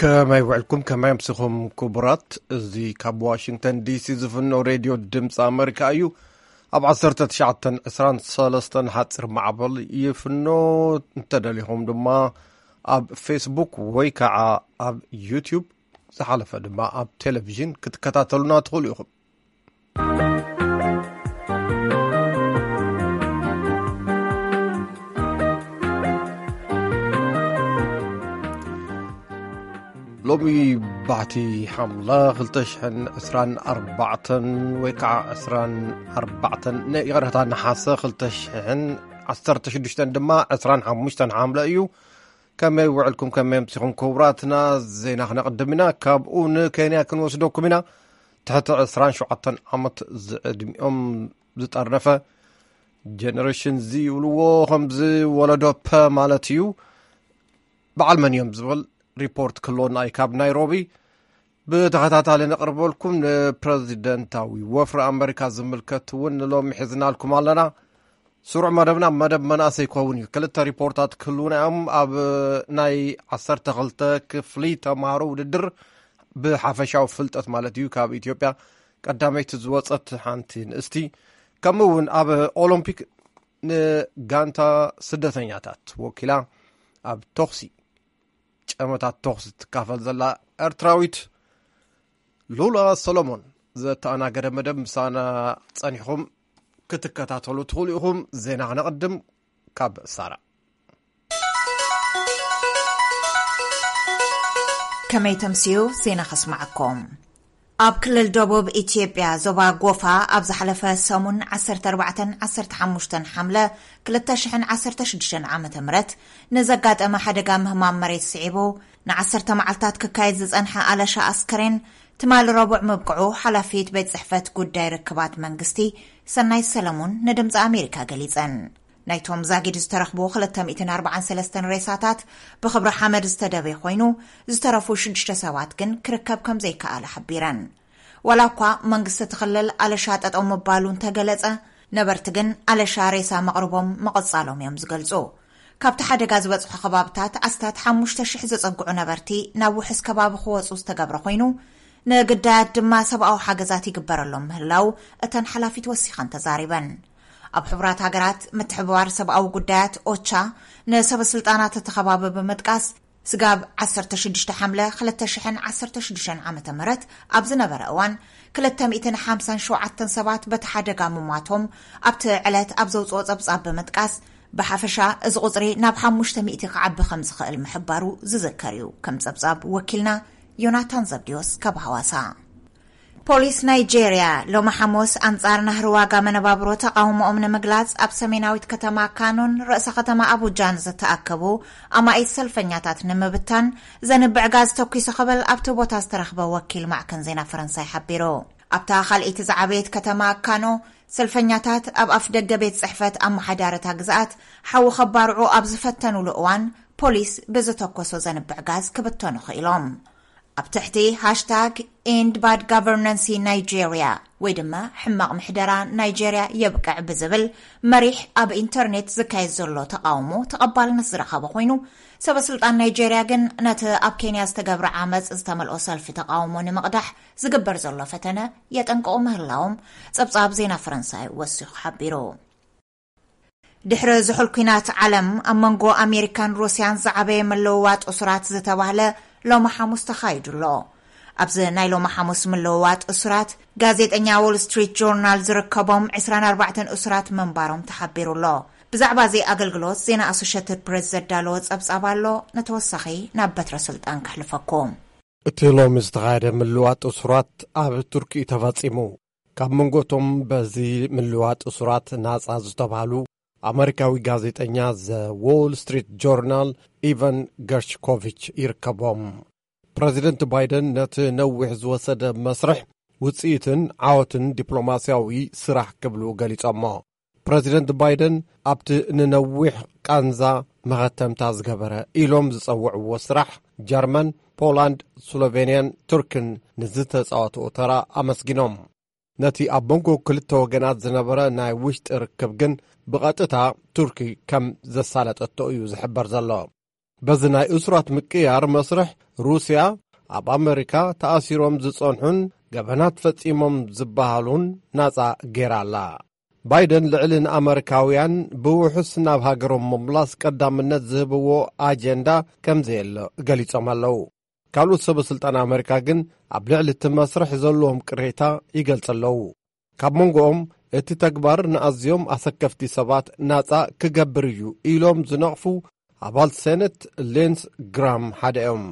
ከመይ ውዕልኩም፣ ከመይ ኣምሲኹም ክቡራት? እዚ ካብ ዋሽንግተን ዲሲ ዝፍኖ ሬድዮ ድምፂ ኣመሪካ እዩ። ኣብ ዓሰርተ ትሽዓተን ዕስራን ሰለስተን ሓፂር ማዕበል ይፍኖ። እንተደሊኹም ድማ ኣብ ፌስቡክ ወይ ከዓ ኣብ ዩቲዩብ፣ ዝሓለፈ ድማ ኣብ ቴሌቪዥን ክትከታተሉና ትኽእሉ ኢኹም። ሎሚ ባሕቲ ሓምለ ክልተ ሽሕን ዕስራን ኣርባዕተን ወይ ከዓ ዕስራን ኣርባዕተን፣ ነ-፣ ይቕረታ፣ ነሓሰ ክልተ ሽሕን ዓሰርተ ሽዱሽተን ድማ ዕስራን ሓሙሽተን ሓምለ እዩ። ከመይ ውዕልኩም፣ ከመይ ኣምሲኹም ክቡራትና? ዜና ክነቕድም ኢና። ካብኡ ንኬንያ ክንወስደኩም ኢና። ትሕቲ ዕስራን ሸውዓተን ዓመት ዝዕድሚኦም ዝጠርነፈ ጀነሬሽን ዚ ይብልዎ፣ ከምዚ ወለዶ ፐ ማለት እዩ። በዓል መን እዮም ዝብል ሪፖርት ክህልወና እዩ ካብ ናይሮቢ። ብተኸታታሊ ነቕርበልኩም። ንፕረዚደንታዊ ወፍሪ ኣመሪካ ዝምልከት እውን ንሎሚ ሒዝናልኩም ኣለና። ስሩዕ መደብና መደብ መናእሰይ ክኸውን እዩ። ክልተ ሪፖርታት ክህልውና እዮም። ኣብ ናይ ዓሰርተ ክልተ ክፍሊ ተምሃሮ ውድድር ብሓፈሻዊ ፍልጠት ማለት እዩ፣ ካብ ኢትዮጵያ ቀዳመይቲ ዝወፀት ሓንቲ ንእስቲ፣ ከምኡ እውን ኣብ ኦሎምፒክ ንጋንታ ስደተኛታት ወኪላ ኣብ ተኹሲ፣ ጨመታት ተኹሲ ትካፈል ዘላ ኤርትራዊት ሉላ ሰሎሞን ዘተኣናገደ መደብ ምሳና ጸኒሕኩም ክትከታተሉ ትኽእሉ ኢኹም። ዜና ክነቕድም ካብ ሳራ። ከመይ ተምስዩ ዜና ከስማዓኩም። ኣብ ክልል ደቡብ ኢትዮጵያ ዞባ ጎፋ ኣብ ዝሓለፈ ሰሙን ዓሰርተ ኣርባዕተን ዓሰርተ ሓሙሽተን ሓምለ ክልተ ሽሕን ዓሰርተ ሽዱሽተን ዓመተ ምህረት ንዘጋጠመ ሓደጋ ምህማም መሬት ስዒቡ ንዓሰርተ መዓልታት ክካየድ ዝጸንሐ ኣለሻ ኣስከሬን ትማሊ ረቡዕ ምብቅዑ ሓላፊት ቤት ጽሕፈት ጉዳይ ርክባት መንግስቲ ሰናይት ሰለሙን ንድምፂ ኣሜሪካ ገሊጸን። ናይቶም ዛጊድ ዝተረኽቡ ክልተ ሚእትን ኣርባዓን ሰለስተን ሬሳታት ብኽብሪ ሓመድ ዝተደበየ ኮይኑ፣ ዝተረፉ ሽዱሽተ ሰባት ግን ክርከብ ከም ዘይከኣለ ሓቢረን። ዋላ እኳ መንግስቲ እቲ ክልል ኣለሻ ጠጠው ምባሉ እንተገለጸ፣ ነበርቲ ግን ኣለሻ ሬሳ መቕርቦም ምቕጻሎም እዮም ዝገልጹ። ካብቲ ሓደጋ ዝበጽሑ ከባብታት ኣስታት ሓሙሽተ ሽሕ ዝጸግዑ ነበርቲ ናብ ውሑስ ከባቢ ክወጹ ዝተገብረ ኮይኑ፣ ንግዳያት ድማ ሰብኣዊ ሓገዛት ይግበረሎም ምህላው እተን ሓላፊት ወሲኸን ተዛሪበን። ኣብ ሕቡራት ሃገራት ምትሕብባር ሰብኣዊ ጉዳያት ኦቻ ንሰበ ስልጣናት እቲ ከባቢ ብምጥቃስ፣ ስጋብ ዓሰርተ ሽዱሽተ ሓምለ ክልተ ሽሕን ዓሰርተ ሽዱሽተን ዓመተ ምህረት ኣብ ዝነበረ እዋን ክልተ ሚእትን ሓምሳን ሸውዓተን ሰባት በቲ ሓደጋ ምሟቶም ኣብቲ ዕለት ኣብ ዘውፅኦ ፀብፃብ ብምጥቃስ፣ ብሓፈሻ እዚ ቁፅሪ ናብ ሓሙሽተ ሚእቲ ክዓቢ ከም ዝኽእል ምሕባሩ ዝዝከር እዩ። ከም ፀብፃብ ወኪልና ዮናታን ዘብዲዮስ ካብ ሃዋሳ። ፖሊስ ናይጄርያ ሎሚ ሓሙስ ኣንጻር ናህሪ ዋጋ መነባብሮ ተቓውሞኦም ንምግላጽ ኣብ ሰሜናዊት ከተማ ካኖን ርእሰ ከተማ ኣቡጃን ዝተኣከቡ ኣማኢት ሰልፈኛታት ንምብታን ዘንብዕ ጋዝ ተኲሱ ክብል ኣብቲ ቦታ ዝተረኽበ ወኪል ማዕከን ዜና ፈረንሳይ ሓቢሩ። ኣብታ ካልኣይቲ ዝዓበየት ከተማ ካኖ ሰልፈኛታት ኣብ ኣፍ ደገ ቤት ጽሕፈት ኣመሓዳሪ እታ ግዝኣት ሓዊ ከባርዑ ኣብ ዝፈተኑሉ እዋን ፖሊስ ብዝተኮሶ ዘንብዕ ጋዝ ክብተኑ ክኢሎም። ኣብ ትሕቲ ሃሽታግ ኤንድ ባድ ጋቨርናንሲ ናይጄርያ ወይ ድማ ሕማቕ ምሕደራ ናይጄርያ የብቅዕ ብዝብል መሪሕ ኣብ ኢንተርኔት ዝካየድ ዘሎ ተቃውሞ ተቐባልነት ዝረኸበ ኮይኑ፣ ሰበ ስልጣን ናይጄርያ ግን ነቲ ኣብ ኬንያ ዝተገብረ ዓመፅ ዝተመልኦ ሰልፊ ተቃውሞ ንምቕዳሕ ዝግበር ዘሎ ፈተነ የጠንቅቑ ምህላዎም ፀብፃብ ዜና ፈረንሳይ ወሲኹ ሓቢሩ። ድሕሪ ዝሑል ኲናት ዓለም ኣብ መንጎ ኣሜሪካን ሩስያን ዝዓበየ ምልውዋጥ እሱራት ዝተባህለ ሎሚ ሓሙስ ተኻይዱ ኣሎ። ኣብዚ ናይ ሎሚ ሓሙስ ምልውዋጥ እሱራት ጋዜጠኛ ዎል ስትሪት ጆርናል ዝርከቦም ዕስራን ኣርባዕተን እሱራት ምንባሮም ተሓቢሩ ኣሎ። ብዛዕባ እዚ ኣገልግሎት ዜና ኣሶሸትድ ፕሬስ ዘዳለወ ጸብጻብ ኣሎ። ንተወሳኺ ናብ በትረ ስልጣን ከሕልፈኩም። እቲ ሎሚ ዝተኻየደ ምልውዋጥ እሱራት ኣብ ቱርኪ እዩ ተፈጺሙ። ካብ መንጎቶም በዚ ምልዋጥ እሱራት ናጻ ዝተባህሉ ኣመሪካዊ ጋዜጠኛ ዘ ዎል ስትሪት ጆርናል ኢቫን ገርሽኮቪች ይርከቦም። ፕረዚደንት ባይደን ነቲ ነዊሕ ዝወሰደ መስርሕ ውጽኢትን ዓወትን ዲፕሎማስያዊ ስራሕ ክብሉ ገሊጾሞ። ፕረዚደንት ባይደን ኣብቲ ንነዊሕ ቃንዛ መኸተምታ ዝገበረ ኢሎም ዝጸውዕዎ ስራሕ ጀርመን፣ ፖላንድ፣ ስሎቬንያን ቱርክን ንዝተጻወትኦ ተራ ኣመስጊኖም። ነቲ ኣብ መንጎ ክልተ ወገናት ዝነበረ ናይ ውሽጢ ርክብ ግን ብቐጥታ ቱርኪ ከም ዘሳለጠቶ እዩ ዝሕበር ዘሎ። በዚ ናይ እሱራት ምቅያር መስርሕ፣ ሩስያ ኣብ ኣመሪካ ተኣሲሮም ዝጸንሑን ገበናት ፈጺሞም ዝበሃሉን ናጻ ገይራ ኣላ። ባይደን ልዕሊ ንኣመሪካውያን ብውሑስ ናብ ሃገሮም ምምላስ ቀዳምነት ዝህብዎ ኣጀንዳ ከም ዘየለ ገሊጾም ኣለዉ። ካልኦት ሰበ ስልጣን ኣመሪካ ግን ኣብ ልዕሊ እቲ መስርሕ ዘለዎም ቅሬታ ይገልጹ ኣለዉ። ካብ መንጎኦም እቲ ተግባር ንኣዝዮም ኣሰከፍቲ ሰባት ናጻ ክገብር እዩ ኢሎም ዝነቕፉ ኣባል ሴኔት ሊንስ ግራም ሓደ እዮም።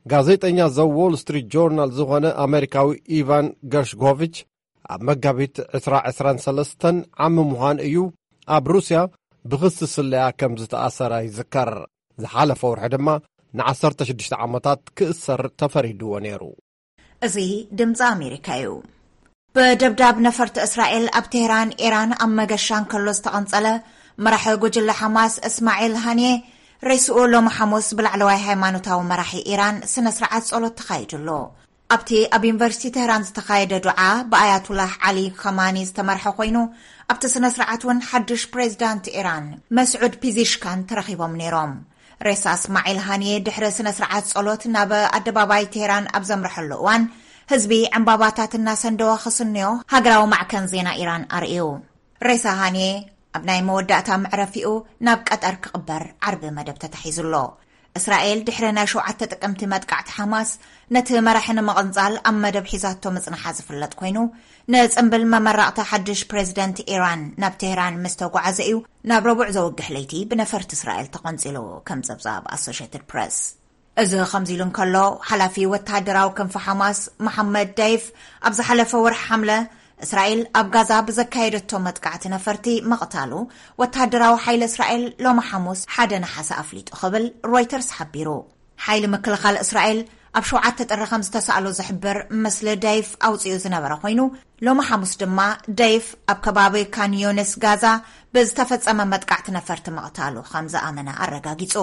ጋዜጠኛ ዘ ዎል ስትሪት ጆርናል ዝኾነ ኣመሪካዊ ኢቫን ገርሽጎቪች፣ ኣብ መጋቢት ዕስራ ዕስራን ሰለስተን ዓሚ ምዃን እዩ፣ ኣብ ሩስያ ብኽሲ ስለያ ከም ዝተኣሰረ ይዝከር። ዝሓለፈ ወርሒ ድማ ንዓሰርተ ሽዱሽተ ዓመታት ክእሰር ተፈሪድዎ ነይሩ። እዚ ድምፂ ኣሜሪካ እዩ። ብደብዳብ ነፈርቲ እስራኤል ኣብ ቴህራን፣ ኢራን ኣብ መገሻ እንከሎ ዝተቐንጸለ መራሒ ጉጅለ ሓማስ እስማዒል ሃንየ፣ ሬስኡ ሎሚ ሓሙስ ብላዕለዋይ ሃይማኖታዊ መራሒ ኢራን ስነ ስርዓት ጸሎት ተኻይዱሉ። ኣብቲ ኣብ ዩኒቨርሲቲ ቴህራን ዝተኻየደ ዱዓ ብኣያቱላህ ዓሊ ኸማኒ ዝተመርሐ ኮይኑ፣ ኣብቲ ስነ ስርዓት እውን ሓድሽ ፕሬዚዳንት ኢራን መስዑድ ፒዚሽካን ተረኺቦም ነይሮም። ሬሳ እስማዒል ሃንየ ድሕሪ ስነ ስርዓት ጸሎት ናብ ኣደባባይ ቴህራን ኣብ ዘምረሐሉ እዋን፣ ህዝቢ ዕምባባታት እናሰንደወ ክስንዮ ሃገራዊ ማዕከን ዜና ኢራን ኣርእዩ። ሬሳ ሃንየ ኣብ ናይ መወዳእታ መዕረፊኡ ናብ ቀጠር ክቕበር ዓርቢ መደብ ተታሒዙ ኣሎ። እስራኤል ድሕሪ ናይ ሸውዓተ ጥቅምቲ መጥቃዕቲ ሓማስ፣ ነቲ መራሒ ንምቕንጻል ኣብ መደብ ሒዛቶ ምጽንሓ ዝፍለጥ ኮይኑ፣ ንጽምብል መመረቕታ ሓድሽ ፕሬዚደንት ኢራን ናብ ቴህራን ምስ ተጓዓዘ እዩ ናብ ረቡዕ ዘውግሕ ለይቲ ብነፈርቲ እስራኤል ተቐንጺሉ፣ ከም ጸብጻብ ኣሶሽየትድ ፕረስ። እዚ ከምዚ ኢሉ እንከሎ፣ ሓላፊ ወተሃደራዊ ክንፊ ሓማስ መሓመድ ደይፍ ኣብ ዝሓለፈ ወርሒ ሓምለ፣ እስራኤል ኣብ ጋዛ ብዘካየደቶ መጥቃዕቲ ነፈርቲ ምቕታሉ ወተሃደራዊ ሓይሊ እስራኤል ሎሚ ሓሙስ ሓደ ነሓሰ ኣፍሊጡ ክብል ሮይተርስ ሓቢሩ። ሓይሊ ምክልኻል እስራኤል ኣብ ሸውዓተ ጥሪ ከም ዝተሳእሎ ዝሕብር ምስሊ ደይፍ ኣውጺኡ ዝነበረ ኮይኑ፣ ሎሚ ሓሙስ ድማ ደይፍ ኣብ ከባቢ ካን ዮንስ ጋዛ ብዝተፈጸመ መጥቃዕቲ ነፈርቲ ምቕታሉ ከም ዝኣመነ ኣረጋጊጹ።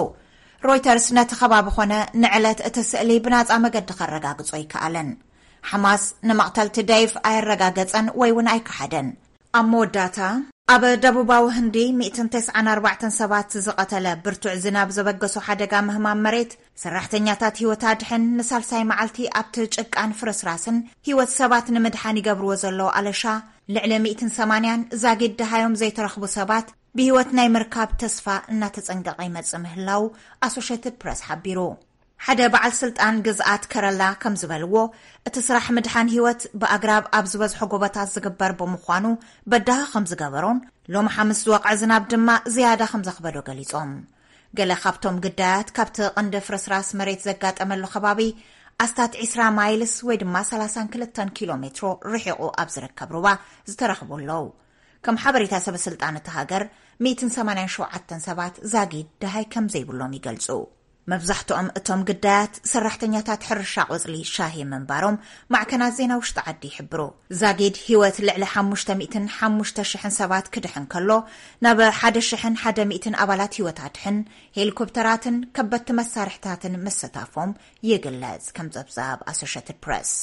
ሮይተርስ ነቲ ከባቢ ኾነ ንዕለት እቲ ስእሊ ብናጻ መገዲ ከረጋግጾ ኣይከኣለን። ሓማስ ንመቕተልቲ ደይፍ ኣየረጋገጸን ወይ እውን ኣይከሓደን። ኣብ መወዳእታ፣ ኣብ ደቡባዊ ህንዲ ሚእትን ተስዓን ኣርባዕተን ሰባት ዝቐተለ ብርቱዕ ዝናብ ዘበገሶ ሓደጋ ምህማም መሬት፣ ሰራሕተኛታት ህይወት ኣድሕን ንሳልሳይ መዓልቲ ኣብቲ ጭቃን ፍርስራስን ህይወት ሰባት ንምድሓን ይገብርዎ ዘለዉ ኣለሻ፣ ልዕሊ ሚእትን ሰማንያን ዛጊድ ደሃዮም ዘይተረኽቡ ሰባት ብህይወት ናይ ምርካብ ተስፋ እናተጸንቀቐ ይመጽእ ምህላው ኣሶሼትድ ፕረስ ሓቢሩ። ሓደ በዓል ስልጣን ግዝኣት ከረላ ከም ዝበልዎ፣ እቲ ስራሕ ምድሓን ህይወት ብኣግራብ ኣብ ዝበዝሖ ጎቦታት ዝግበር ብምዃኑ በዳሂ ከም ዝገበሮን፣ ሎሚ ሓምስ ዝወቕዐ ዝናብ ድማ ዝያዳ ከም ዘኽበዶ ገሊጾም። ገለ ካብቶም ግዳያት ካብቲ ቀንዲ ፍርስራስ መሬት ዘጋጠመሉ ከባቢ ኣስታት ዒስራ ማይልስ ወይ ድማ ሰላሳን ክልተን ኪሎ ሜትሮ ርሒቑ ኣብ ዝርከብ ሩባ ዝተረኽቡ ኣለዉ። ከም ሓበሬታ ሰበ ስልጣን እቲ ሃገር፣ ሚእትን ሰማንያን ሸውዓተን ሰባት ዛጊድ ደሃይ ከም ዘይብሎም ይገልጹ። መብዛሕትኦም እቶም ግዳያት ሰራሕተኛታት ሕርሻ ቆጽሊ ሻሂ ምንባሮም ማዕከናት ዜና ውሽጢ ዓዲ ይሕብሩ። ዛጊድ ህይወት ልዕሊ ሓሙሽተ ሚእትን ሓሙሽተ ሽሕን ሰባት ክድሕን ከሎ፣ ናብ ሓደ ሽሕን ሓደ ሚእትን ኣባላት ህይወት ኣድሕን ሄሊኮፕተራትን ከበድቲ መሳርሕታትን ምስታፎም ይግለጽ። ከም ጸብጻብ ኣሶሼትድ ፕረስ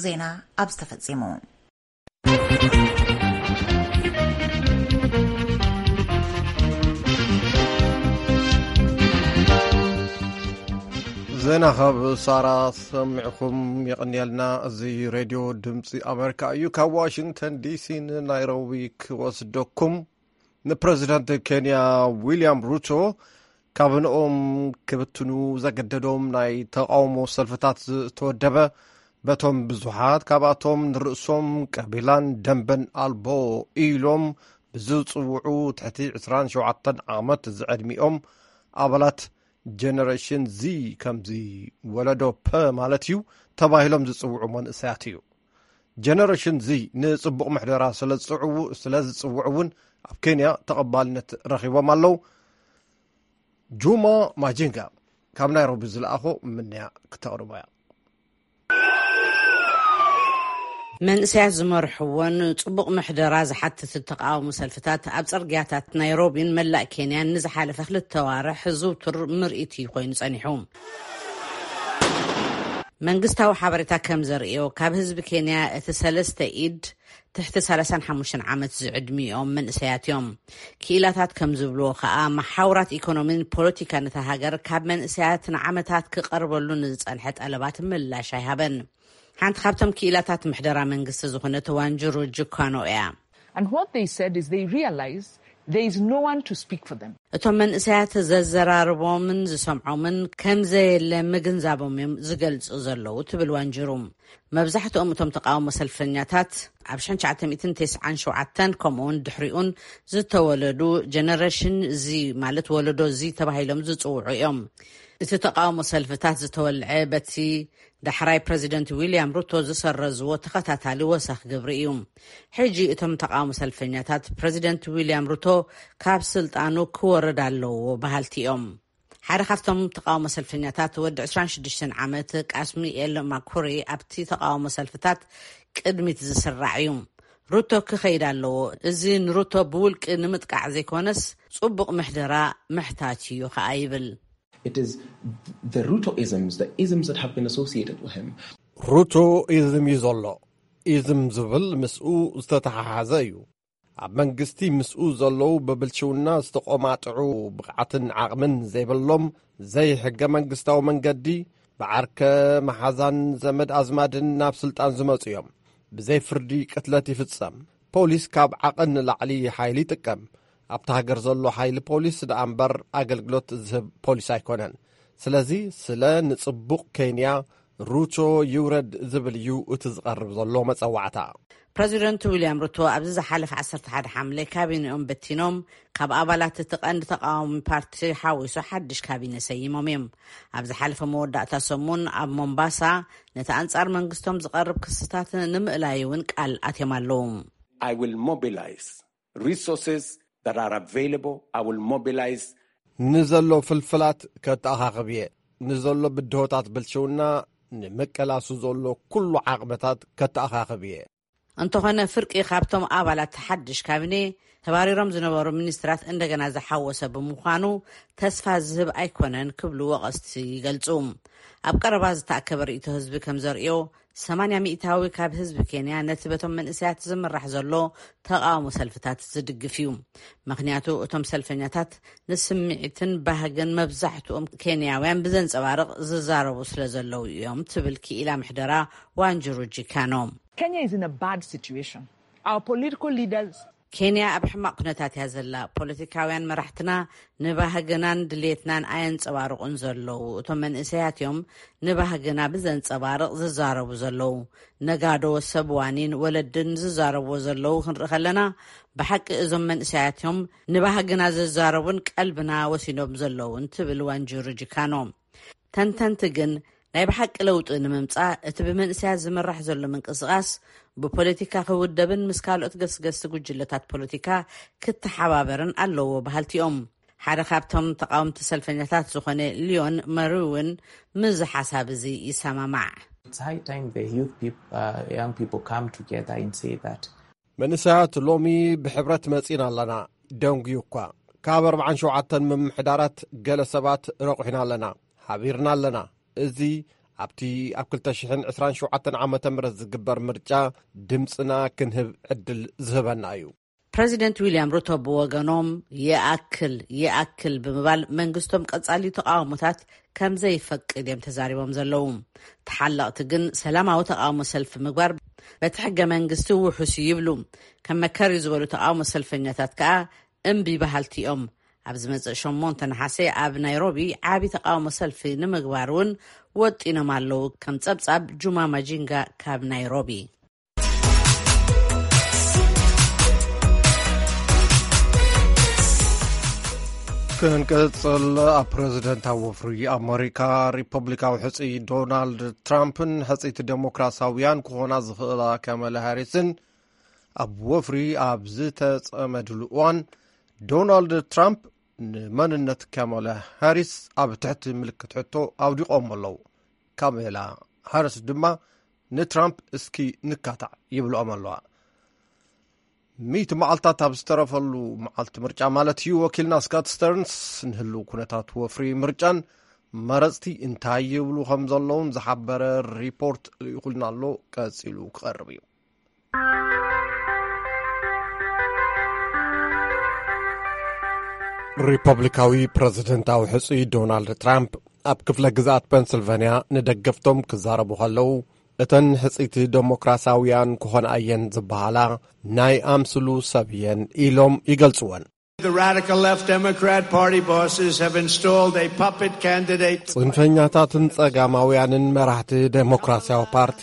ዜና ኣብዚ ተፈጺሙ። ዜና ካብ ሳራ ሰሚዕኹም የቐንየልና። እዚ ሬድዮ ድምፂ ኣሜሪካ እዩ። ካብ ዋሽንግተን ዲሲ ንናይሮቢ ክወስደኩም። ንፕረዚደንት ኬንያ ዊልያም ሩቶ ካቢነኦም ክብትኑ ዘገደዶም ናይ ተቓውሞ ሰልፍታት ዝተወደበ፣ በቶም ብዙሓት ካብኣቶም ንርእሶም ቀቢላን ደንበን ኣልቦ ኢሎም ብዝጽውዑ ትሕቲ ዕስራን ሸውዓተን ዓመት ዝዕድሚኦም ኣባላት ጀነሬሽን ዚ፣ ከምዚ ወለዶ ፐ ማለት እዩ፣ ተባሂሎም ዝጽውዑ መንእሰያት እዩ። ጀነሬሽን ዚ ንጽቡቕ ምሕደራ ስለ ዝጽዕዉ-፣ ስለ ዝጽውዑ እውን ኣብ ኬንያ ተቐባልነት ረኺቦም ኣለዉ። ጁማ ማጂንጋ ካብ ናይሮቢ ዝለኣኾ ምንያ ክተቕርቦ እያ። መንእሰያት ዝመርሕዎን ጽቡቕ ምሕደራ ዝሓትት ተቃውሞ ሰልፍታት ኣብ ጽርግያታት ናይሮቢን መላእ ኬንያን ንዝሓለፈ ክልተ ዋርሕ ዝውቱር ምርኢት እዩ ኮይኑ ጸኒሑ። መንግስታዊ ሓበሬታ ከም ዘርእዮ፣ ካብ ህዝቢ ኬንያ እቲ ሰለስተ ኢድ ትሕቲ ሰላሳን ሓሙሽተን ዓመት ዝዕድሚኦም መንእሰያት እዮም። ክኢላታት ከም ዝብልዎ ከኣ፣ መሓውራት ኢኮኖሚን ፖለቲካን እታ ሃገር ካብ መንእሰያት ንዓመታት ክቐርበሉ ንዝጸንሐ ጠለባት ምላሽ ኣይሃበን። ሓንቲ ካብቶም ክኢላታት ምሕደራ መንግስቲ ዝኾነት ዋንጅሩ ጅኳኖ እያ። And what they said is they realized there is no one to speak for them. እቶም መንእሰያት ዘዘራርቦምን ዝሰምዖምን ከም ዘየለ ምግንዛቦም እዮም ዝገልጹ ዘለዉ ትብል ዋንጅሩ። መብዛሕትኦም እቶም ተቃውሞ ሰልፈኛታት ኣብ ሽሕን ትሽዓተ ሚእትን ተስዓን ሸውዓተን ከምኡውን ድሕሪኡን ዝተወለዱ ጀነሬሽን ዚ ማለት ወለዶ ዚ ተባሂሎም ዝጽውዑ እዮም። እቲ ተቃውሞ ሰልፍታት ዝተወልዐ በቲ ዳሕራይ ፕረዚደንት ዊልያም ሩቶ ዝሰረዝዎ ተኸታታሊ ወሰኽ ግብሪ እዩ። ሕጂ እቶም ተቃውሞ ሰልፈኛታት ፕረዚደንት ዊልያም ሩቶ ካብ ስልጣኑ ክወርድ ኣለዎ በሃልቲ እዮም። ሓደ ካብቶም ተቃውሞ ሰልፈኛታት ወዲ ዕስራን ሽዱሽተን ዓመት ቃስሚኤል ማኩሪ ኣብቲ ተቃውሞ ሰልፍታት ቅድሚት ዝስራዕ እዩ። ሩቶ ክኸይድ ኣለዎ። እዚ ንሩቶ ብውልቂ ንምጥቃዕ ዘይኮነስ ጽቡቕ ምሕደራ ምሕታት እዩ ከኣ ይብል። It is the Ruto isms, the isms that have been associated with him. ሩቶ ኢዝም እዩ ዘሎ። ኢዝም ዝብል ምስኡ ዝተተሓሓዘ እዩ። ኣብ መንግስቲ ምስኡ ዘለዉ ብብልሽውና ዝተቆማጥዑ ብቕዓትን ዓቕምን ዘይብሎም ዘይሕገ መንግስታዊ መንገዲ ብዓርከ መሓዛን ዘመድ ኣዝማድን ናብ ስልጣን ዝመጹ እዮም። ብዘይ ፍርዲ ቅትለት ይፍጸም። ፖሊስ ካብ ዓቐን ንላዕሊ ሓይሊ ይጥቀም። ኣብቲ ሃገር ዘሎ ሓይሊ ፖሊስ ደኣ እምበር ኣገልግሎት ዝህብ ፖሊስ ኣይኮነን። ስለዚ ስለ ንጽቡቕ ኬንያ ሩቶ ይውረድ ዝብል እዩ እቲ ዝቐርብ ዘሎ መጸዋዕታ። ፕረዚደንት ዊልያም ሩቶ ኣብዚ ዝሓለፈ ዓሰርተ ሓደ ሓምለ ካቢኔኦም በቲኖም ካብ ኣባላት እቲ ቀንዲ ተቃዋሚ ፓርቲ ሓዊሱ ሓድሽ ካቢነ ሰይሞም እዮም። ኣብ ዝሓለፈ መወዳእታ ሰሙን ኣብ ሞምባሳ ነቲ ኣንጻር መንግስቶም ዝቐርብ ክስታት ንምእላይ እውን ቃል ኣትዮም ኣለዉ። I will mobilize resources that are available. I will mobilize ንዘሎ ፍልፍላት ከተኣኻኽብ እየ። ንዘሎ ብድሆታት ብልሽውና ንምቅላሱ ዘሎ ኩሉ ዓቕምታት ከተኣኻኽብ እየ። እንተኾነ ፍርቂ ካብቶም ኣባላት ሓድሽ ካቢኔ ተባሪሮም ዝነበሩ ሚኒስትራት እንደገና ዝሓወሰ ብምዃኑ ተስፋ ዝህብ ኣይኮነን ክብሉ ወቐስቲ ይገልጹ። ኣብ ቀረባ ዝተኣከበ ርእይቶ ህዝቢ ከም ዘርእዮ ሰማንያ ሚእታዊ ካብ ህዝቢ ኬንያ ነቲ በቶም መንእሰያት ዝምራሕ ዘሎ ተቃውሞ ሰልፍታት ዝድግፍ እዩ። ምኽንያቱ እቶም ሰልፈኛታት ንስምዒትን ባህግን መብዛሕትኦም ኬንያውያን ብዘንጸባርቕ ዝዛረቡ ስለ ዘለዉ እዮም ትብል ክኢላ ምሕደራ ዋንጅሩ ጂካኖ። Kenya is in a bad situation. Our political leaders ኬንያ ኣብ ሕማቕ ኩነታት እያ ዘላ። ፖለቲካውያን መራሕትና ንባህግናን ድሌትናን ኣየንጸባርቑን ዘለዉ። እቶም መንእሰያት እዮም ንባህግና ብዘንጸባርቕ ዝዛረቡ ዘለዉ። ነጋዶ፣ ሰብ ዋኒን ወለድን ዝዛረብዎ ዘለዉ ክንርኢ ከለና፣ ብሓቂ እዞም መንእሰያት እዮም ንባህግና ዝዛረቡን ቀልብና ወሲዶም ዘለዉን ትብል ዋንጅሩ ጂካኖ። ተንተንቲ ግን ናይ ብሓቂ ለውጢ ንምምጻእ እቲ ብመንእሰያት ዝምራሕ ዘሎ ምንቅስቓስ ብፖለቲካ ክውደብን ምስ ካልኦት ገስገስቲ ጉጅለታት ፖለቲካ ክተሓባበርን ኣለዎ በሃልቲ እዮም። ሓደ ካብቶም ተቃወምቲ ሰልፈኛታት ዝኾነ ሊዮን መሪ እውን ምስዚ ሓሳብ እዚ ይሰማማዕ። It's high time the youth people, uh, young people come together and say that መንእሰያት ሎሚ ብሕብረት መጺና ኣለና። ደንጉዩ እኳ ካብ ኣርባዓን ሸውዓተን ምምሕዳራት ገለ ሰባት ረቑሕና ኣለና፣ ሓቢርና ኣለና። እዚ ኣብቲ ኣብ ክልተ ሽሕን ዕስራን ሸውዓተን ዓመተ ምህረት ዝግበር ምርጫ ድምጽና ክንህብ ዕድል ዝህበና እዩ። ፕረዚደንት ዊልያም ሩቶ ብወገኖም ይኣክል ይኣክል ብምባል መንግስቶም ቀጻሊ ተቃውሞታት ከም ዘይፈቅድ እዮም ተዛሪቦም ዘለዉ። ተሓለቕቲ ግን ሰላማዊ ተቃውሞ ሰልፊ ምግባር በቲ ሕገ መንግስቲ ውሑስ እዩ ይብሉ። ከም መከር እዩ ዝበሉ ተቃውሞ ሰልፈኛታት ከኣ እምቢ በሃልቲ እዮም። ኣብ ዝመጽእ ሸሞንተ ነሓሰ ኣብ ናይሮቢ ዓቢ ተቃውሞ ሰልፊ ንምግባር እውን ወጢኖም ኣለዉ። ከም ጸብጻብ ጁማ ማጂንጋ ካብ ናይሮቢ። ክንቅጽል፣ ኣብ ፕረዚደንታዊ ወፍሪ ኣመሪካ ሪፐብሊካዊ ሕጽይ ዶናልድ ትራምፕን ሕጽይቲ ዴሞክራሲያውያን ክኾና ዝኽእላ ካማላ ሃሪስን ኣብ ወፍሪ ኣብ ዝተጸመድሉ እዋን፣ ዶናልድ ትራምፕ ንመንነት ካማላ ሃሪስ ኣብ ትሕቲ ምልክት ሕቶ ኣውዲቖም ኣለዉ። ካማላ ሃሪስ ድማ ንትራምፕ እስኪ ንካታዕ ይብልኦም ኣለዋ። ሚእቲ መዓልታት ኣብ ዝተረፈሉ መዓልቲ ምርጫ ማለት እዩ፣ ወኪልና ስካት ስተርንስ ንህልው ኩነታት ወፍሪ ምርጫን መረፅቲ እንታይ ይብሉ ከም ዘለውን ዝሓበረ ሪፖርት ልኢኹልና ኣሎ፣ ቀፂሉ ክቐርብ እዩ። ሪፐብሊካዊ ፕረዚደንታዊ ሕጹይ ዶናልድ ትራምፕ ኣብ ክፍለ ግዝኣት ፐንስልቨንያ ንደገፍቶም ክዛረቡ ከለዉ፣ እተን ሕጽይቲ ደሞክራሲያውያን ክኾና እየን ዝበሃላ ናይ ኣምስሉ ሰብ እየን ኢሎም ይገልጽወን። The radical left Democrat Party bosses have installed a puppet candidate. ጽንፈኛታትን ጸጋማውያንን መራሕቲ ደሞክራሲያዊ ፓርቲ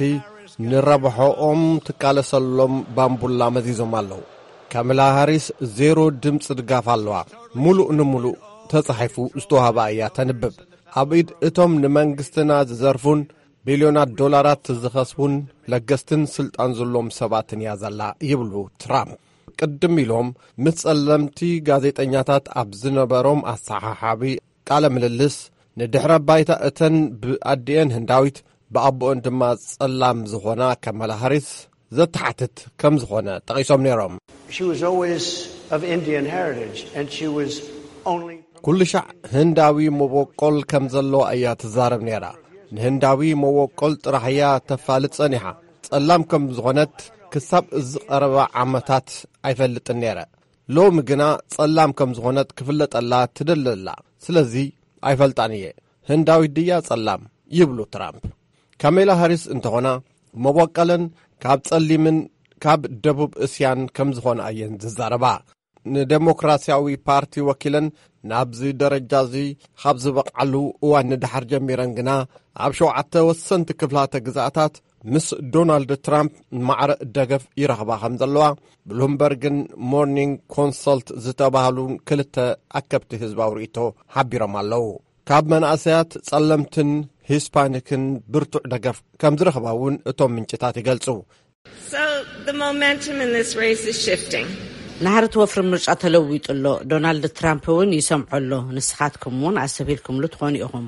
ንረብሖኦም ትቃለሰሎም ባምቡላ መዚዞም ኣለዉ። ካማላ ሃሪስ ዜሮ ድምፂ ድጋፍ ኣለዋ። ሙሉእ ንሙሉእ ተጻሒፉ ዝተዋህባ እያ ተንብብ። ኣብ ኢድ እቶም ንመንግስትና ዝዘርፉን ቢልዮናት ዶላራት ዝኸስቡን ለገስትን ስልጣን ዘለዎም ሰባትን እያ ዘላ ይብሉ ትራምፕ። ቅድም ኢሎም ምስ ጸለምቲ ጋዜጠኛታት ኣብ ዝነበሮም ኣሰሓሓቢ ቃለ ምልልስ፣ ንድሕረ ባይታ እተን ብኣዲኤን ህንዳዊት ብኣቦኦን ድማ ጸላም ዝኾና ካማላ ሃሪስ ዘተሓትት ከም ዝኾነ ጠቒሶም ነይሮም። She was always of Indian heritage, and she was only ኩሉ ሻዕ ህንዳዊ መበቆል ከም ዘለዎ እያ ትዛረብ ነይራ። ንህንዳዊ መበቆል ጥራሕ እያ ተፋልጥ ጸኒሓ። ጸላም ከም ዝኾነት ክሳብ እዚ ቀረባ ዓመታት ኣይፈልጥን ነይረ። ሎሚ ግና ጸላም ከም ዝኾነት ክፍለጠላ ትደለላ። ስለዚ ኣይፈልጣን እየ። ህንዳዊት ድያ ጸላም? ይብሉ ትራምፕ። ካሜላ ሃሪስ እንተኾና መበቆለን ካብ ጸሊምን ካብ ደቡብ እስያን ከም ዝኾና እየን ዝዛረባ። ንደሞክራሲያዊ ፓርቲ ወኪለን ናብዚ ደረጃ እዚ ካብ ዝበቕዓሉ እዋን ንድሓር ጀሚረን ግና ኣብ ሸውዓተ ወሰንቲ ክፍላተ ግዝኣታት ምስ ዶናልድ ትራምፕ ማዕረ ደገፍ ይረኽባ ከም ዘለዋ ብሉምበርግን ሞርኒንግ ኮንሰልት ዝተባህሉ ክልተ ኣከብቲ ህዝባዊ ርእይቶ ሓቢሮም ኣለዉ። ካብ መናእሰያት ጸለምትን ሂስፓኒክን ብርቱዕ ደገፍ ከም ዝረኽባ እውን እቶም ምንጭታት ይገልጹ። So the momentum in this race is shifting. ናህሪ እቲ ወፍሪ ምርጫ ተለዊጡ ኣሎ። ዶናልድ ትራምፕ እውን ይሰምዖ ኣሎ። ንስኻትኩም እውን ኣሰቢልኩምሉ ትኾኑ ኢኹም።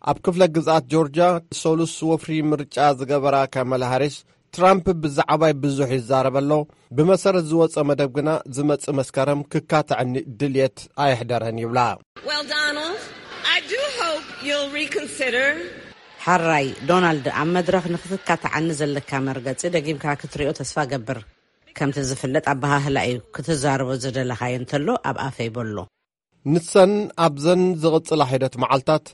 ኣብ ክፍለ ግዝኣት ጆርጅያ ሰሉስ ወፍሪ ምርጫ ዝገበራ ካማላ ሃሪስ፣ ትራምፕ ብዛዕባይ ብዙሕ ይዛረብ ኣሎ፣ ብመሰረት ዝወጸ መደብ ግና ዝመጽእ መስከረም ክካትዐኒ ድልየት ኣየሕደረን ይብላ። Well, Donald, I do hope you'll reconsider. ሓራይ ዶናልድ፣ ኣብ መድረኽ ንክትካትዓኒ ዘለካ መርገጺ ደጊምካ ክትሪኦ ተስፋ ገብር። ከምቲ ዝፍለጥ ኣበሃህላ እዩ፣ ክትዛረቦ ዝደለኻዮ እንተሎ ኣብ ኣፈይ በሎ። ንሰን ኣብዘን ዝቕጽላ ሒደት መዓልታት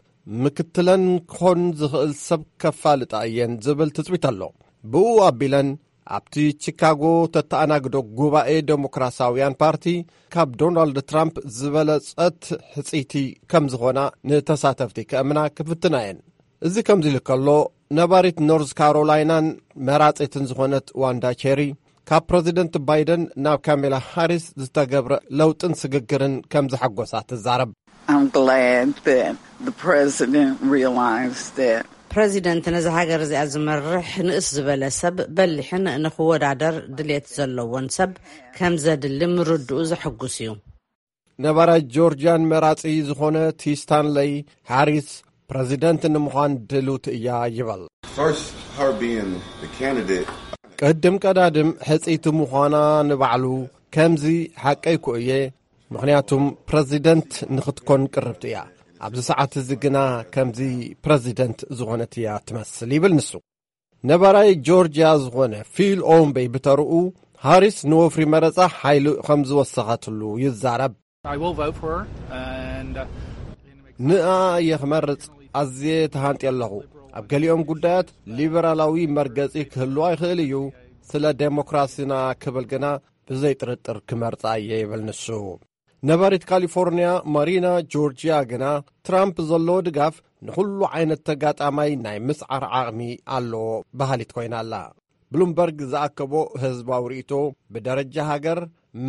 ምክትለን ክኾን ዝኽእል ሰብ ከፋልጣ እየን ዝብል ትጽቢት ኣሎ። ብኡ ኣቢለን ኣብቲ ቺካጎ ተተኣናግዶ ጉባኤ ደሞክራሲያውያን ፓርቲ ካብ ዶናልድ ትራምፕ ዝበለጸት ሕጽይቲ ከም ዝኾና ንተሳተፍቲ ከእምና ክፍትና እየን። እዚ ከምዚ ኢሉ ከሎ፣ ነባሪት ኖርዝ ካሮላይናን መራጺትን ዝኾነት ዋንዳ ቸሪ፣ ካብ ፕረዚደንት ባይደን ናብ ካሜላ ሃሪስ ዝተገብረ ለውጥን ስግግርን ከም ዘሐጎሳ ትዛረብ። I'm glad that the president realized that. ፕረዚደንት ነዚ ሃገር እዚኣ ዝመርሕ ንእስ ዝበለ ሰብ በሊሕን ንክወዳደር ድሌት ዘለዎን ሰብ ከም ዘድሊ ምርድኡ ዘሐጉስ እዩ። ነባራይ ጆርጂያን መራጺ ዝኾነ ቲ ስታንለይ ሃሪስ ፕረዚደንት ንምዃን ድልውቲ እያ ይበል። First, her being the candidate. ቅድም ቀዳድም ሕጽይቲ ምዃና ንባዕሉ ከምዚ ሓቀይ እኮ እየ፣ ምኽንያቱም ፕረዚደንት ንኽትኮን ቅርብቲ እያ። ኣብዚ ሰዓት እዚ ግና ከምዚ ፕረዚደንት ዝኾነት እያ ትመስል ይብል ንሱ። ነባራይ ጆርጂያ ዝኾነ ፊል ኦምበይ ብተርኡ፣ ሃሪስ ንወፍሪ መረጻ ሓይሊ ከም ዝወሰኸትሉ ይዛረብ። I will vote for her, and, uh, ንኣ እየ ክመርጽ ኣዝየ ተሃንጥየ ኣለኹ። ኣብ ገሊኦም ጉዳያት ሊበራላዊ መርገጺ ክህልዋ ይኽእል እዩ። ስለ ዴሞክራሲና ክብል ግና ብዘይ ጥርጥር ክመርጻ እየ ይብል ንሱ። ነባሪት ካሊፎርንያ ማሪና ጆርጂያ ግና ትራምፕ ዘለዎ ድጋፍ ንኹሉ ዓይነት ተጋጣማይ ናይ ምስዓር ዓቕሚ ኣለዎ በሃሊት ኮይና ኣላ። ብሉምበርግ ዝኣከቦ ህዝባዊ ርእይቶ ብደረጃ ሃገር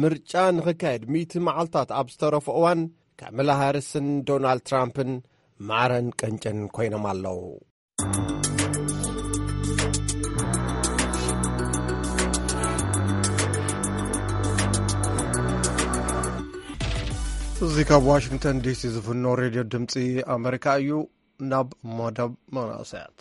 ምርጫ ንኽካየድ ሚእቲ መዓልታት ኣብ ዝተረፎ እዋን ካማላ ሃሪስን ዶናልድ ትራምፕን ማዕረን ቀንጨን ኮይኖም ኣለዉ። እዚ ካብ ዋሽንግተን ዲሲ ዝፍኖ ሬድዮ ድምፂ ኣመሪካ እዩ። ናብ መደብ መናእሰያት።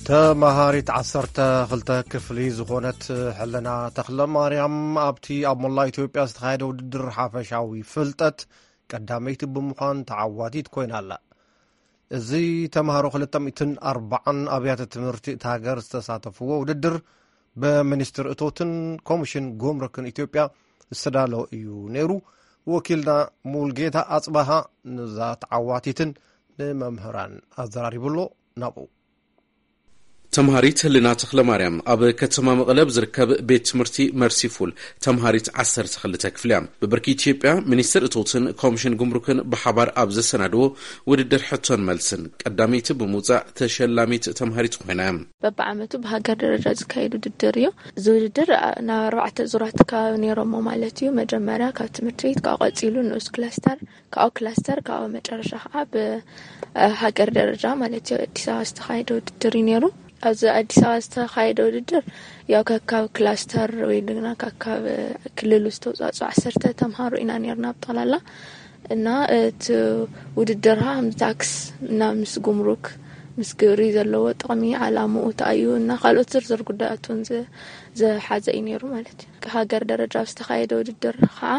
ተማሃሪት ዓሰርተ ክልተ ክፍሊ ዝኾነት ሕልና ተኽለ ማርያም ኣብቲ ኣብ መላ ኢትዮጵያ ዝተኻየደ ውድድር ሓፈሻዊ ፍልጠት ቀዳመይቲ ብምዃን ተዓዋቲት ኮይና ኣላ። እዚ ተምሃሮ ክልተ ሚእትን ኣርባዓን ኣብያተ ትምህርቲ እታ ሃገር ዝተሳተፍዎ ውድድር ብሚኒስትር እቶትን ኮሚሽን ጉምሩክን ኢትዮጵያ ዝተዳለወ እዩ ነይሩ። ወኪልና ሙልጌታ ኣጽባሃ ንዛ ተዓዋቲትን ንመምህራን ኣዘራሪቡ ኣሎ። ናብኡ። ተምሃሪት ህልና ተኽለ ማርያም ኣብ ከተማ መቐለ ኣብ ዝርከብ ቤት ትምህርቲ መርሲፉል ተምሃሪት ዓሰርተ ክልተ ክፍሊ እያ። ብብርኪ ኢትዮጵያ፣ ሚኒስትር እቶትን ኮሚሽን ጉምሩክን ብሓባር ኣብ ዘሰናድዎ ውድድር ሕቶን መልስን ቀዳመይቲ ብምውጻእ ተሸላሚት ተምሃሪት ኮይና እያ። በብዓመቱ ብሃገር ደረጃ ዝካየድ ውድድር እዩ። እዚ ውድድር፣ አ፣ ናብ ኣርባዕተ ዙራት ከባቢ ነይሮሞ ማለት እዩ። መጀመርያ ካብ ትምህርቲ ቤት፣ ካብኡ ቀጺሉ ንኡስ ክላስተር፣ ካብኡ ክላስተር፣ ካብኡ መጨረሻ ከዓ ብ፣ አ፣ ሃገር ደረጃ ማለት እዩ። ኣዲስ ኣበባ ዝተኻየደ ውድድር እዩ ነይሩ። ኣብዚ ኣዲስ ኣበባ ዝተኻየደ ውድድር ያው ከካብ ክላስተር ወይ ድማ ከካብ ክልል ዝተውፃእፁ ዓሰርተ ተምሃሮ ኢና ነይርና ብጠቕላላ። እና እቲ ውድድር ከዓ ምስ ታክስ እና ምስ ጉምሩክ፣ ምስ ግብሪ ዘለዎ ጥቕሚ፣ ዓላምኡ እንታይ እዩ እና ካልኦት ዝርዝር ጉዳያት እውን ዝ-፣ ዝሓዘ እዩ ነይሩ ማለት እዩ። ሃገር ደረጃ ዝተኻየደ ውድድር ከዓ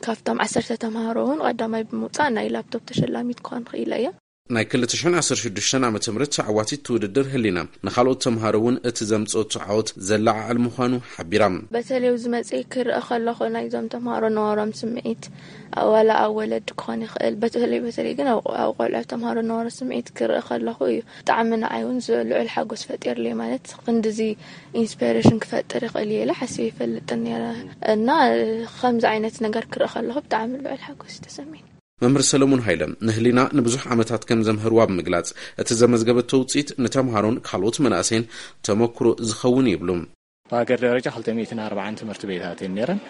ካብቶም ዓሰርተ ተምሃሮ እውን ቀዳማይ ብምውፃእ ናይ ላፕቶፕ ተሸላሚት ክኾን ክኢለ እየ። ናይ ክልተ ሽሕን ዓሰርተ ሽዱሽተን ዓመተ ምህረት ተዓዋቲት ውድድር ህሊና ንኻልኦት ተምሃሮ እውን እቲ ዘምጽኦ ተዓወት ዘለዓዕል ምዃኑ ሓቢራ። በተለይ ኣብዚ መጽኤ ክርኢ ከለኹ ናይዞም ተምሃሮ ነዋራም ስምዒት፣ ዋላ ኣብ ወለዲ ክኾን ይኽእል፣ በተለይ፣ በተለይ ግን ኣብ፣ ኣብ ቆልዑ ተምሃሮ ነዋራም ስምዒት ክርኢ ከለኹ እዩ ብጣዕሚ ንዓይ እውን ዝ-፣ ልዑል ሓጎስ ፈጢርለይ። ማለት ክንድዚ ኢንስፓይሬሽን ክፈጥር ይኽእል እየ ኢለ ሓሲበ ይፈልጥን ነይረ። እና ከምዚ ዓይነት ነገር ክርኢ ከለኹ ብጣዕሚ ልዑል ሓጎስ እዩ ተሰሚዕኒ። መምህር ሰለሙን ሃይለ ንህሊና ንብዙሕ ዓመታት ከም ዘምህርዋ ብምግላጽ፣ እቲ ዘመዝገበቶ ውጽኢት ንተምሃሮን ካልኦት መናእሰይን ተመክሮ ዝኸውን ይብሉ። ብሃገር ደረጃ ክልተ ሚእትን ኣርባዓን ትምህርቲ ቤታት እየን ነይረን።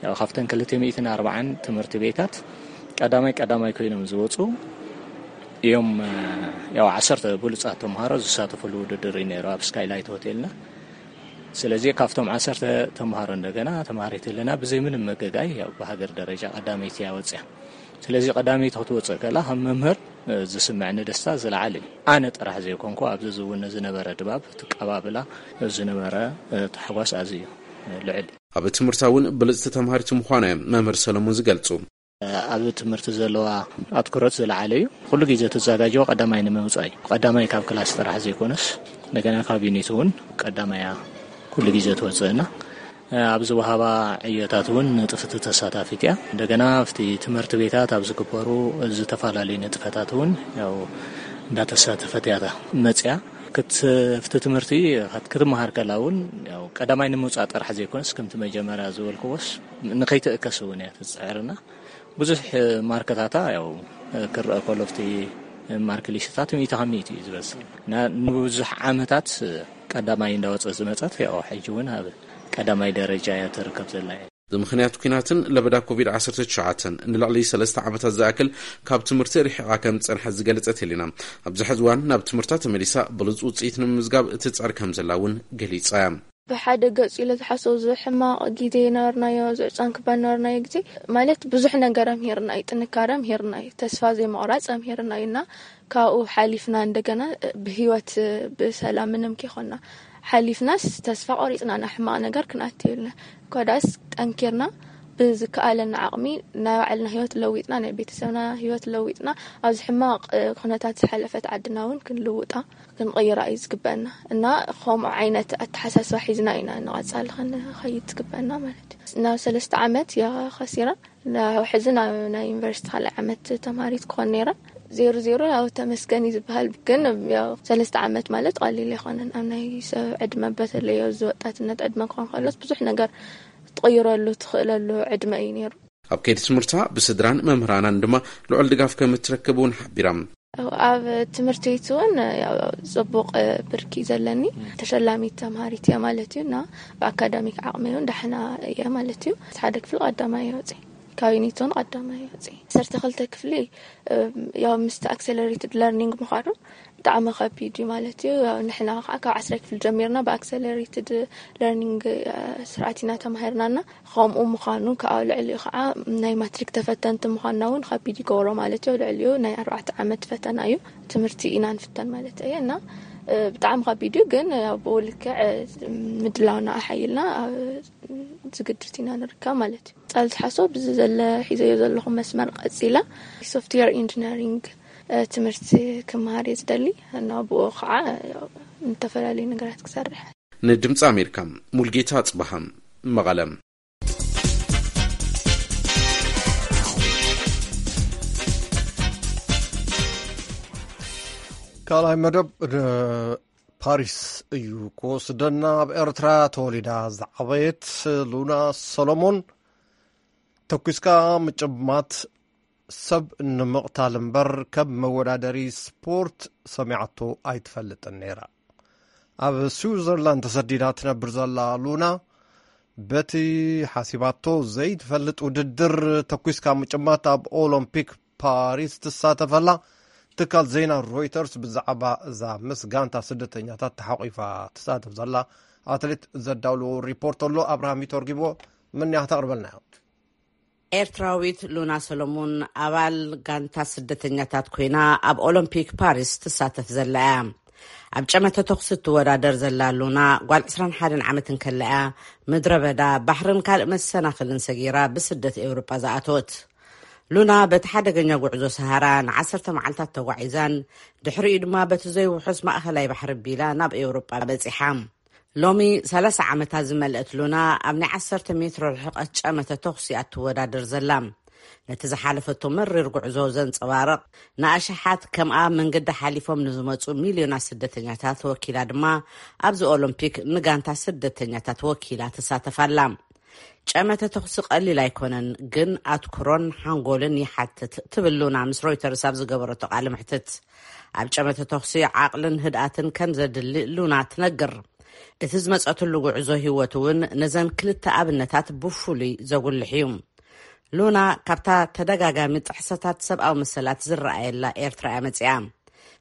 ያው ካብተን ክልተ ሚእትን ኣርባዓን ትምህርቲ ቤታት ቀዳማይ ቀዳማይ ኮይኖም ዝወጹ እዮም። ያው ዓሰርተ ብሉጻት ተምሃሮ ዝሳተፉሉ ውድድር እዩ ነይሩ ኣብ ስካይላይት ሆቴልና። ስለዚ ካብቶም ዓሰርተ ተምሃሮ እንደገና ተምሃሪት ህልና ብዘይ ምንም መገጋይ ያው ብሃገር ደረጃ ቀዳመይቲ እያ ወፅያ። ስለዚ ቀዳመይቲ ክትወፅእ ከላ ከም መምህር፣ እ፣ ዝስምዕኒ ደስታ ዝለዓለ እዩ። ኣነ ጥራሕ ዘይኮንኩ ኣብዚ ዝውን ዝነበረ ድባብ፣ እቲ ቀባብላ፣ ዝነበረ፣ እ፣ ታሕጓስ ኣዝዩ፣ እ፣ ልዑል እዩ። ኣብ ትምህርታ እውን ብልፅቲ ተምሃሪት ምዃና እዮም መምህር ሰለሙን ዝገልፁ። ኣብ ትምህርቲ ዘለዋ ኣትኩሮት ዝለዓለ እዩ። ኩሉ ግዜ ትዘጋጀዎ ቀዳማይ ንምውጻእ እዩ። ቀዳማይ ካብ ክላስ ጥራሕ ዘይኮነስ፣ እንደገና ካብ ዩኒት እውን ቀዳማይ እያ ኩሉ ግዜ ትወጽእና። ኣብ ዝወሃባ ዕዮታት እውን ንጥፍቲ ተሳታፊት እያ። እንደገና ኣብቲ ትምህርቲ ቤታት ኣብ ዝግበሩ ዝተፈላለዩ ንጥፈታት እውን ያው እንዳተሳተፈት እያ መጽያ። ክት-፣ ኣብቲ ትምህርቲ ክትመሃር ከላ እውን ያው ቀዳማይ ንምውጻእ ጥራሕ ዘይኮነስ፣ ከምቲ መጀመርያ ዝበልክዎስ፣ ንኸይትእከስ እውን እያ ትጽዕርና። ብዙሕ ማርክታታ ያው ክረአ ከሎ ኣብቲ ማርክ ሊስትታት ሚእቲ ካብ ሚእቲ እዩ ዝበዝሕ። እና ንብዙሕ ዓመታት ቀዳማይ እንዳወጸት ዝመጸት ያው ሕጂ እውን ኣብ ቀዳማይ ደረጃ እያ ትርከብ ዘላ እያ። ብምኽንያት ኲናትን ለበዳ ኮቪድ ዓሰርተ ትሽዓተ ንልዕሊ ሰለስተ ዓመታት ዝኣክል ካብ ትምህርቲ ርሒቓ ከም ዝጸንሐት ዝገለጸት ሄሌና፣ ኣብዚ ሕዚ እዋን ናብ ትምህርታ ተመሊሳ ብሉጽ ውጽኢት ንምምዝጋብ ትጽዕር ከም ዘላ እውን ገሊጻ እያ። ብሓደ ገጹ ኢለ ዝሓስቦ፣ እዚ ሕማቕ ግዜ ነበርናዮ፣ እዚ ዕጻን ክባን ነበርናዮ ግዜ፣ ማለት ብዙሕ ነገር ኣምሂርና እዩ፣ ጥንካረ ኣምሂርና እዩ፣ ተስፋ ዘይምቑራጽ ኣምሂርና እዩ እና ካብኡ ሓሊፍና እንደገና ብህይወት ብሰላም ምንም ከይኮንና ሓሊፍናስ ተስፋ ቆሪጽና ናብ ሕማቕ ነገር ክንኣቱ የብልና። እኳ ደኣስ ጠንኪርና ብዝከኣለና ዓቕሚ ናይ ባዕልና ህይወት ለዊጥና፣ ናይ ቤተሰብና ህይወት ለዊጥና፣ ኣብዚ ሕማቕ ኩነታት ዝሓለፈት ዓድና እውን ክንልውጣ ክንቕይራ እዩ ዝግበአና። እና ከምኡ ዓይነት ኣተሓሳስባ ሒዝና ኢና ንቐጻሊ ክንኸይድ ዝግበአና ማለት እዩ። ናብ ሰለስተ ዓመት እያ ከሲራ። ናብ ሕዚ ናብ ናይ ዩኒቨርሲቲ ካልኣይ ዓመት ተምሃሪት ክኾን ነይራ። ዜሮ ዜሮ ያው ተመስገን እዩ ዝበሃል። ግን ያው ሰለስተ ዓመት ማለት ቀሊል ኣይኮነን። ኣብ ናይ ሰብ ዕድመ፣ በተለይ ኣብዚ ወጣትነት ዕድመ ክኾን ከሎስ ብዙሕ ነገር ትቕይረሉ ትኽእለሉ ዕድመ እዩ ነይሩ። ኣብ ከይዲ ትምህርታ ብስድራን መምህራናን ድማ ልዑል ድጋፍ ከም እትረክብ እውን ሓቢራ። ኣብ ትምህርቲ ቤት እውን ያው ጽቡቕ ብርኪ ዘለኒ፣ ተሸላሚት ተምሃሪት እየ ማለት እዩ። እና ብኣካዳሚክ ዓቕመይ እውን ዳሕና እየ ማለት እዩ። ሓደ ክፍሊ ቀዳማይ እየ ወፂ፣ ካብ ዩኒት እውን ቀዳማይ እየ ወፂ። ዓሰርተ ክልተ ክፍሊ፣ እም፣ ያው ምስቲ ኣክሰለሬትድ ለርኒንግ ምዃኑ ብጣዕሚ ከቢድ እዩ ማለት እዩ። ያው ንሕና ከዓ ካብ ዓስራይ ክፍሊ ጀሚርና ብኣክሰለሬትድ ለርኒንግ፣ እ፣ ስርዓት ኢና ተማሂርናና። ከምኡ ምዃኑ ከዓ ልዕሊኡ ከዓ ናይ ማትሪክ ተፈተንቲ ምዃንና እውን ከቢድ ይገብሮ ማለት እዩ። ልዕሊኡ ናይ ኣርባዕተ ዓመት ፈተና እዩ። ትምህርቲ ኢና ንፍተን ማለት እየ። እና ብጣዕሚ ከቢድ እዩ፣ ግን ኣብኡ ልክዕ ምድላውና ኣሓይልና ዝግድት ኢና ንርከብ ማለት እዩ። ጻል ዝሓሶ ብዚ ዘለ ሒዘዮ ዘለኹ መስመር ቀጺላ ሶፍትዌር ኢንጂነሪንግ ትምህርቲ ክመሃር እየ ዝደሊ። እና ብኡ ከዓ ዝተፈላለዩ ነገራት ክሰርሕ። ንድምፂ ኣሜሪካ፣ ሙልጌታ ኣፅበሃ፣ መቐለ። ካልኣይ መደብ ፓሪስ እዩ ክወስደና። ኣብ ኤርትራ ተወሊዳ ዝዓበየት ሉና ሰሎሞን፣ ተኩስካ ምጭማት ሰብ ንምቕታል እምበር ከም መወዳደሪ ስፖርት ሰሚዓቶ ኣይትፈልጥን ነይራ። ኣብ ስዊዘርላንድ ተሰዲዳ ትነብር ዘላ ሉና፣ በቲ ሓሲባቶ ዘይትፈልጥ ውድድር ተኩስካ ምጭማት ኣብ ኦሎምፒክ ፓሪስ ትሳተፈላ ትካል ዜና ሮይተርስ ብዛዕባ እዛ ምስ ጋንታ ስደተኛታት ተሓቂፋ ትሳተፍ ዘላ ኣትሌት ዘዳውሎ ሪፖርት ኣሎ። ኣብርሃም ይተርጊሞ፣ ምንያ ክተቕርበልና እያ። ኤርትራዊት ሉና ሰሎሙን ኣባል ጋንታ ስደተኛታት ኮይና ኣብ ኦሎምፒክ ፓሪስ ትሳተፍ ዘላ እያ። ኣብ ጨመተ ተኹሲ እትወዳደር ዘላ ሉና፣ ጓል ዕስራን ሓደን ዓመት እንከላ እያ ምድረ በዳ፣ ባሕርን ካልእ መሰናኽልን ሰጊራ ብስደት ኤውሮጳ ዝኣተወት። ሉና በቲ ሓደገኛ ጉዕዞ ሰሃራ ንዓሰርተ መዓልታት ተጓዒዛን፣ ድሕሪኡ ድማ በቲ ዘይውሑስ ማእኸላይ ባሕሪ ቢላ ናብ ኤውሮጳ በጺሓ። ሎሚ ሰላሳ ዓመታ ዝመልአት ሉና፣ ኣብ ናይ ዓሰርተ ሜትሮ ርሕቀት ጨመተ ተኹሲ እያ እትወዳደር ዘላ። ነቲ ዝሓለፈቶ መሪር ጉዕዞ ዘንጸባርቕ፣ ንኣሽሓት ከምኣ መንገዲ ሓሊፎም ንዝመጹ ሚልዮናት ስደተኛታት ወኪላ ድማ፣ ኣብዚ ኦሎምፒክ ንጋንታ ስደተኛታት ወኪላ ትሳተፍ ኣላ። ጨመተ ተኹሲ ቀሊል ኣይኮነን፣ ግን ኣትኩሮን ሓንጎልን ይሓትት፣ ትብል ሉና ምስ ሮይተርስ ኣብ ዝገበረቶ ቃለ መሕትት። ኣብ ጨመተ ተኹሲ ዓቕልን ህድኣትን ከም ዘድሊ ሉና ትነግር። እቲ ዝመጸትሉ ጉዕዞ ህይወት እውን ነዘን ክልተ ኣብነታት ብፍሉይ ዘጉልሕ እዩ። ሉና ካብታ ተደጋጋሚ ጥሕሰታት ሰብኣዊ መሰላት ዝረኣየላ ኤርትራ እያ መጺኣ።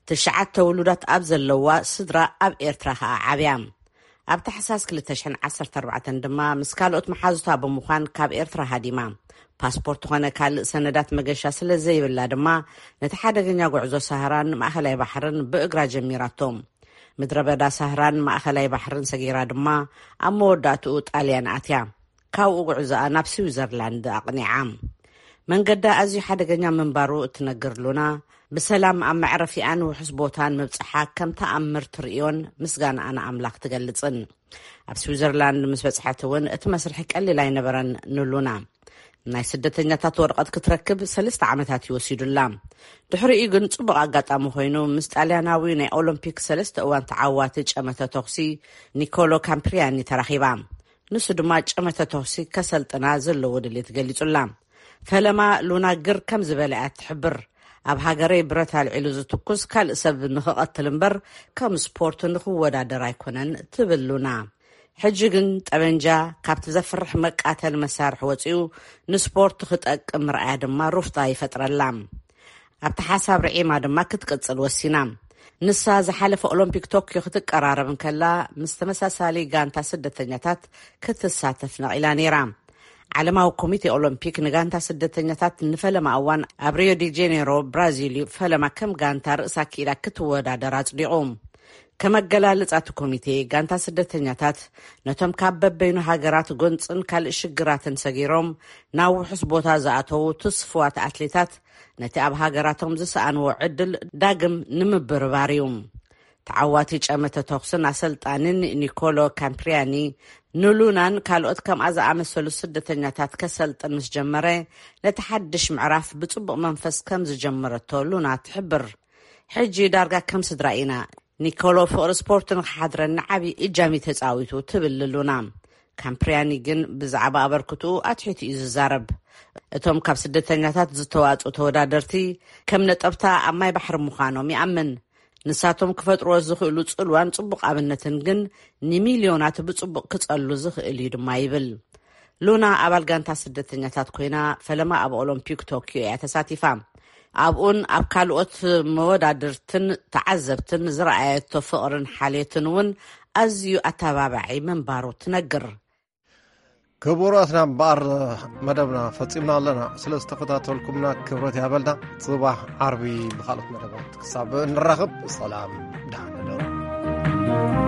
ትሽዓተ ውሉዳት ኣብ ዘለዋ ስድራ ኣብ ኤርትራ ከኣ ዓብያ። ኣብ ታሕሳስ ክልተ ሽሕን ዓሰርተ ኣርባዕተን ድማ ምስ ካልኦት መሓዙታ ብምዃን ካብ ኤርትራ ሃዲማ። ፓስፖርት ኾነ ካልእ ሰነዳት መገሻ ስለ ዘይብላ ድማ፣ ነቲ ሓደገኛ ጉዕዞ ሳህራን ማእኸላይ ባሕርን ብእግራ ጀሚራቶ። ምድረ በዳ ሳህራን ማእኸላይ ባሕርን ሰጊራ ድማ፣ ኣብ መወዳእትኡ ጣልያን ኣትያ። ካብኡ ጉዕዞኣ ናብ ስዊዘርላንድ ኣቕኒዓ። መንገዳ ኣዝዩ ሓደገኛ ምንባሩ እትነግር ሉና፣ ብሰላም ኣብ መዕረፊኣን ውሑስ ቦታን ምብጽሓ ከም ተኣምር ትርእዮን ምስጋናኣ ንኣምላኽ ትገልጽን። ኣብ ስዊዘርላንድ ምስ በጽሐት እውን እቲ መስርሒ ቀሊል ኣይነበረን ንሉና። ናይ ስደተኛታት ወረቐት ክትረክብ ሰለስተ ዓመታት እዩ ወሲዱላ። ድሕሪኡ ግን ጽቡቕ ኣጋጣሚ ኮይኑ፣ ምስ ጣልያናዊ ናይ ኦሎምፒክ ሰለስተ እዋን ተዓዋቲ ጨመተ ተኹሲ ኒኮሎ ካምፕሪያኒ ተራኺባ። ንሱ ድማ ጨመተ ተኹሲ ከሰልጥና ዘለዎ ድሌት ገሊጹላ። ፈለማ ሉና ግር ከም ዝበለ እያ ትሕብር። ኣብ ሃገረይ ብረት ኣልዒሉ ዝትኩስ ካልእ ሰብ ንኽቐትል እምበር፣ ከም ስፖርት ንኽወዳደር ኣይኮነን፣ ትብል ሉና። ሕጂ ግን ጠበንጃ ካብቲ ዘፍርሕ መቃተል መሳርሒ ወጺኡ ንስፖርት ክጠቅም ምርኣያ ድማ ሩፍታ ይፈጥረላ። ኣብቲ ሓሳብ ርዒማ ድማ ክትቅጽል ወሲና። ንሳ ዝሓለፈ ኦሎምፒክ ቶክዮ ክትቀራረብ እንከላ፣ ምስ ተመሳሳሊ ጋንታ ስደተኛታት ክትሳተፍ ነቒላ ነይራ። ዓለማዊ ኮሚቴ ኦሎምፒክ ንጋንታ ስደተኛታት ንፈለማ እዋን ኣብ ሪዮ ዲ ጄኔሮ፣ ብራዚል እዩ ፈለማ ከም ጋንታ ርእሳ ክኢላ ክትወዳደር ኣጽዲቑ። ከመገላልጻ እቲ ኮሚቴ፣ ጋንታ ስደተኛታት ነቶም ካብ በበይኑ ሃገራት ጎንጽን ካልእ ሽግራትን ሰጊሮም ናብ ውሑስ ቦታ ዝኣተዉ ትስፉዋት ኣትሌታት፣ ነቲ ኣብ ሃገራቶም ዝሰኣንዎ ዕድል ዳግም ንምብርባር እዩ። ተዓዋቲ ጨመተ ተኹስን ኣሰልጣንን ኒኮሎ ካምፕሪያኒ፣ ንሉናን ካልኦት ከምኣ ዝኣመሰሉ ስደተኛታት ከሰልጥን ምስ ጀመረ፣ ነቲ ሓድሽ ምዕራፍ ብጽቡቕ መንፈስ ከም ዝጀመረቶ ሉና ትሕብር። ሕጂ ዳርጋ ከም ስድራ ኢና። ኒኮሎ ፍቕሪ ስፖርት ንኽሓድረኒ ዓቢ እጃም እዩ ተጻዊቱ፣ ትብል ሉና። ካምፕሪያኒ ግን ብዛዕባ ኣበርክትኡ ኣትሒቱ እዩ ዝዛረብ። እቶም ካብ ስደተኛታት ዝተዋጽኡ ተወዳደርቲ ከም ነጠብታ ኣብ ማይ ባሕሪ ምዃኖም ይኣምን። ንሳቶም ክፈጥርዎ ዝኽእሉ ጽልዋን ጽቡቕ ኣብነትን ግን ንሚልዮናት ብጽቡቕ ክጸሉ ዝኽእል እዩ ድማ ይብል። ሉና ኣባል ጋንታ ስደተኛታት ኮይና፣ ፈለማ ኣብ ኦሎምፒክ ቶክዮ እያ ተሳቲፋ። ኣብኡን ኣብ ካልኦት መወዳድርትን ተዓዘብትን ዝረኣየቶ ፍቕርን ሓልዮትን እውን ኣዝዩ ኣተባባዒ ምንባሩ ትነግር። ክቡራትና እምበኣር፣ መደብና ፈጺምና ኣለና። ስለ ዝተኸታተልኩምና ክብረት ያበልና። ጽባሕ ዓርቢ ብኻልኦት መደባት ክሳብ እንራኸብ፣ ሰላም፣ ደሓን እደሩ።